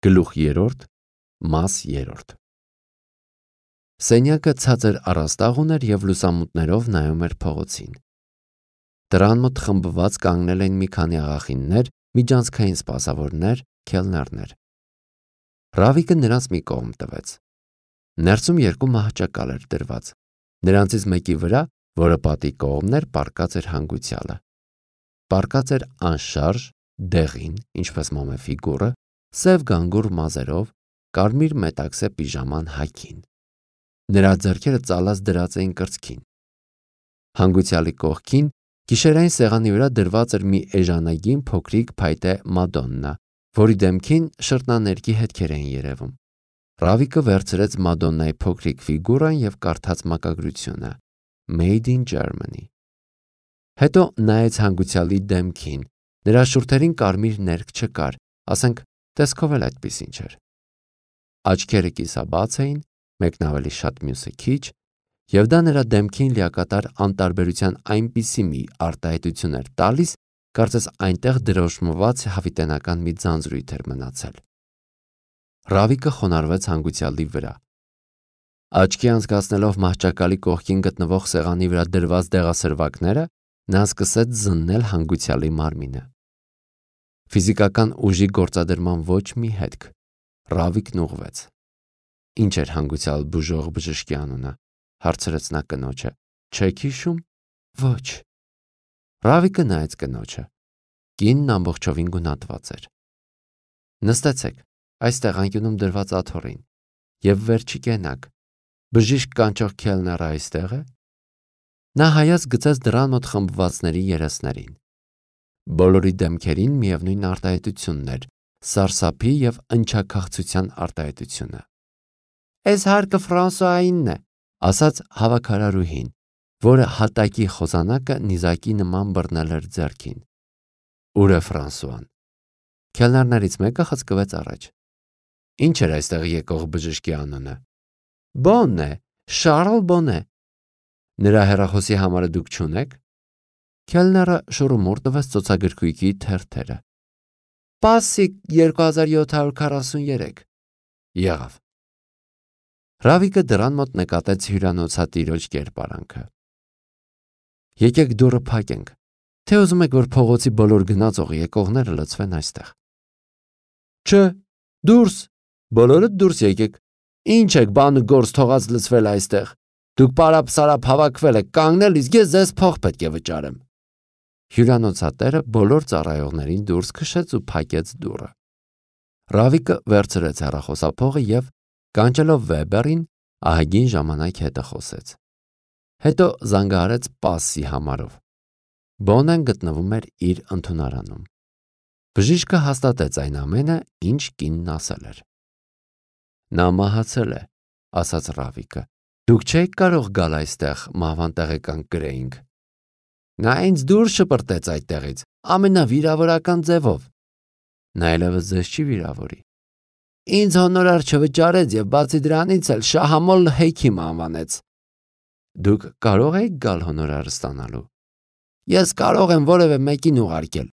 Գլուխ 3, մաս 3։ Սենյակը ցածր առաստաղ ուներ և լուսամուտներով նայում էր փողոցին։ Դրան մոտ խմբված կանգնել էին մի քանի աղախիններ, միջանցքային սպասավորներ, քելներներ։ Ռավիկը նրանց մի կողմ տվեց։ Ներսում երկու մահճակալ էր դրված։ Նրանցից մեկի վրա, որը պատի կողմն էր, պառկած էր հանգուցյալը։ Պառկած էր անշարժ, դեղին, ինչպես մոմե ֆիգուրը, սև գանգուր մազերով, կարմիր մետաքսե պիժաման հագին։ Նրա ձեռքերը ծալած դրած էին կրծքին։ Հանգուցյալի կողքին գիշերային սեղանի վրա դրված էր մի էժանագին փոքրիկ փայտե մադոննա, որի դեմքին շրթնաներկի հետքեր էին երևում։ Ռավիկը վերցրեց մադոննայի փոքրիկ ֆիգուրան և կարդաց մակագրությունը Made in Germany։ Հետո նայեց հանգուցյալի դեմքին։ Նրա շուրթերին կարմիր ներք չկար, ասենք տեսքով էլ այդպիսին չէր։ Աչքերը կիսաբաց էին, մեկն ավելի շատ, մյուսը քիչ, և դա նրա դեմքին լիակատար անտարբերության այնպիսի մի արտահայտություն էր տալիս, կարծես այնտեղ դրոշմված հավիտենական մի ձանձրույթ էր մնացել։ Ռավիկը խոնարհվեց հանգուցյալի վրա։ Աչքի անցկացնելով մահճակալի կողքին գտնվող սեղանի վրա դրված դեղասրվակները, նա սկսեց զննել հանգուցյալի մարմինը։ Ֆիզիկական ուժի գործադրման ոչ մի հետք։ Ռավիկն ուղղվեց։ Ինչ էր հանգուցյալ բուժող բժշկի անունը, հարցրեց նա կնոջը։ Չեք հիշում։ Ոչ։ Ռավիկը նայեց կնոջը։ Կինն ամբողջովին գունատված էր։ Նստեցեք, այստեղ անկյունում դրված աթոռին, և վեր չկենաք։ Բժիշկ կանչող քելները այստեղ է։ Նա հայացք գցեց դռան մոտ խմբվածների երեսներին։ Բոլորի դեմքերին միևնույն արտահայտությունն էր, սարսափի և ընչաքաղցության արտահայտությունը։ Էս հարկը Ֆրանսուայինն է, ասաց հավաքարարուհին, որը հատակի խոզանակը նիզակի նման բռնել էր ձեռքին։ Ուր է Ֆրանսուան։ Քելներներից մեկը խցկվեց առաջ։ Ինչ էր այստեղ եկող բժշկի անունը։ Բոնն է, Շարլ Բոնե։ Նրա հեռախոսի համարը դուք չունեք։ Քելները շուռումուռ տվեց ծոցագրքույկի թերթերը։ Պասիկ 2743։ Եղավ։ Ռավիկը դռան մոտ նկատեց հյուրանոցատիրոջ կերպարանքը։ Եկեք դուռը փակենք, թե ուզում եք, որ փողոցի բոլոր գնացող եկողները լցվեն այստեղ։ Չէ, դուրս, բոլորդ դուրս եկեք։ Ինչ եք բան ու գործ թողած լցվել այստեղ։ Դուք պարապ-սարապ հավաքվել եք կանգնել, իսկ ես ձեզ փող պետք է վճարեմ։ Հյուրանոցատերը բոլոր ծառայողներին դուրս քշեց ու փակեց դուռը։ Ռավիկը վերցրեց հեռախոսափողը և, կանչելով Վեբերին, ահագին ժամանակ հետը խոսեց։ Հետո զանգահարեց Պասի համարով։ Բոնեն գտնվում էր իր ընդունարանում։ Բժիշկը հաստատեց այն ամենը, ինչ կինն ասել էր։ Նա մահացել է, ասաց Ռավիկը։ Դուք չեք կարող գալ այստեղ մահվան տեղեկանք գրեինք։ Նա ինձ դուրս շպրտեց այդտեղից, ամենավիրավորական ձևով։ Նա այլևս ձեզ չի վիրավորի։ Ինձ հոնորար չվճարեց և բացի դրանից էլ շահամոլ հեքիմ անվանեց։ Դուք կարող եք գալ հոնորար ստանալու։ Ես կարող եմ որևէ մեկին ուղարկել։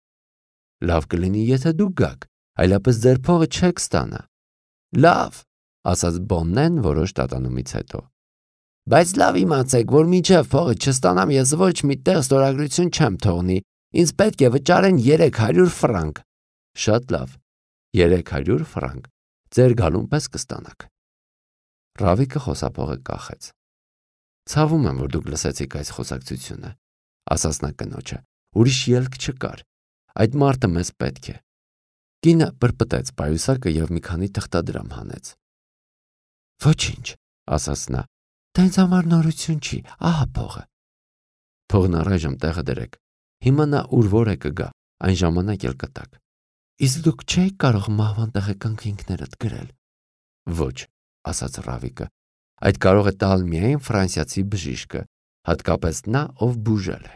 Լավ կլինի, եթե դուք գաք, այլապես ձեր փողը չեք ստանա։ Լավ, ասաց Բոննեն որոշ տատանումից հետո։ Բայց լավ իմացեք, որ մինչև փողը չստանամ, ես ոչ մի տեղ ստորագրություն չեմ թողնի։ Ինձ պետք է վճարեն 300 ֆրանկ։ Շատ լավ, 300 ֆրանկ։ Ձեր գալուն պես կստանաք։ Ռավիկը խոսափողը կախեց։ Ցավում եմ, որ դուք լսեցիք այս խոսակցությունը, ասաց նա կնոջը։ Ուրիշ ելք չկար։ Այդ մարդը մեզ պետք է։ Կինը պրպտեց պայուսակը և մի քանի թղթադրամ հանեց։ Ոչինչ, ասաց նա։ Դա ինձ համար նորություն չի, ահա փողը։ Փողն առայժմ տեղը դրեք։ Հիմա նա ուր որ է կգա, այն ժամանակ էլ կտակ։ Իսկ դուք չեք կարող մահվան տեղեկանք ինքներդ գրել։ Ոչ, ասաց Ռավիկը։ Այդ կարող է տալ միայն ֆրանսիացի բժիշկը, հատկապես նա, ով բուժել է։